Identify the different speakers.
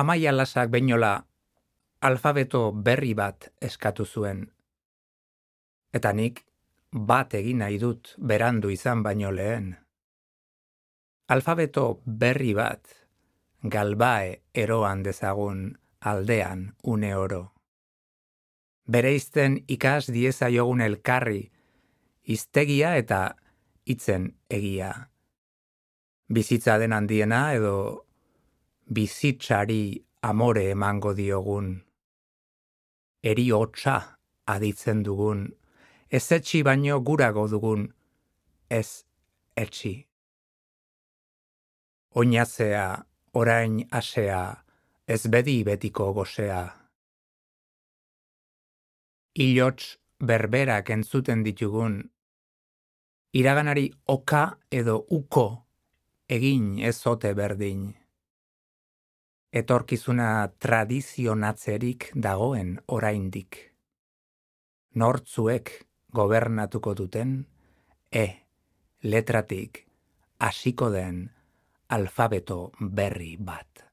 Speaker 1: Amaia Lasak beinola alfabeto berri bat eskatu zuen. Eta nik bat egin nahi dut berandu izan baino lehen. Alfabeto berri bat, galbae eroan dezagun aldean une oro. Bereizten ikas diezaiogun elkarri, hiztegia eta hitzen egia. Bizitza den handiena edo bizitzari amore emango diogun. Eri hotsa aditzen dugun, ez etxi baino gurago dugun, ez etxi. Oinazea, orain asea, ez bedi betiko gosea. Ilots berberak entzuten ditugun, iraganari oka edo uko egin ez ote berdin. Etorkizuna tradizionatzerik dagoen oraindik. Nortzuek gobernatuko duten, letratik hasiko den alfabeto berri bat.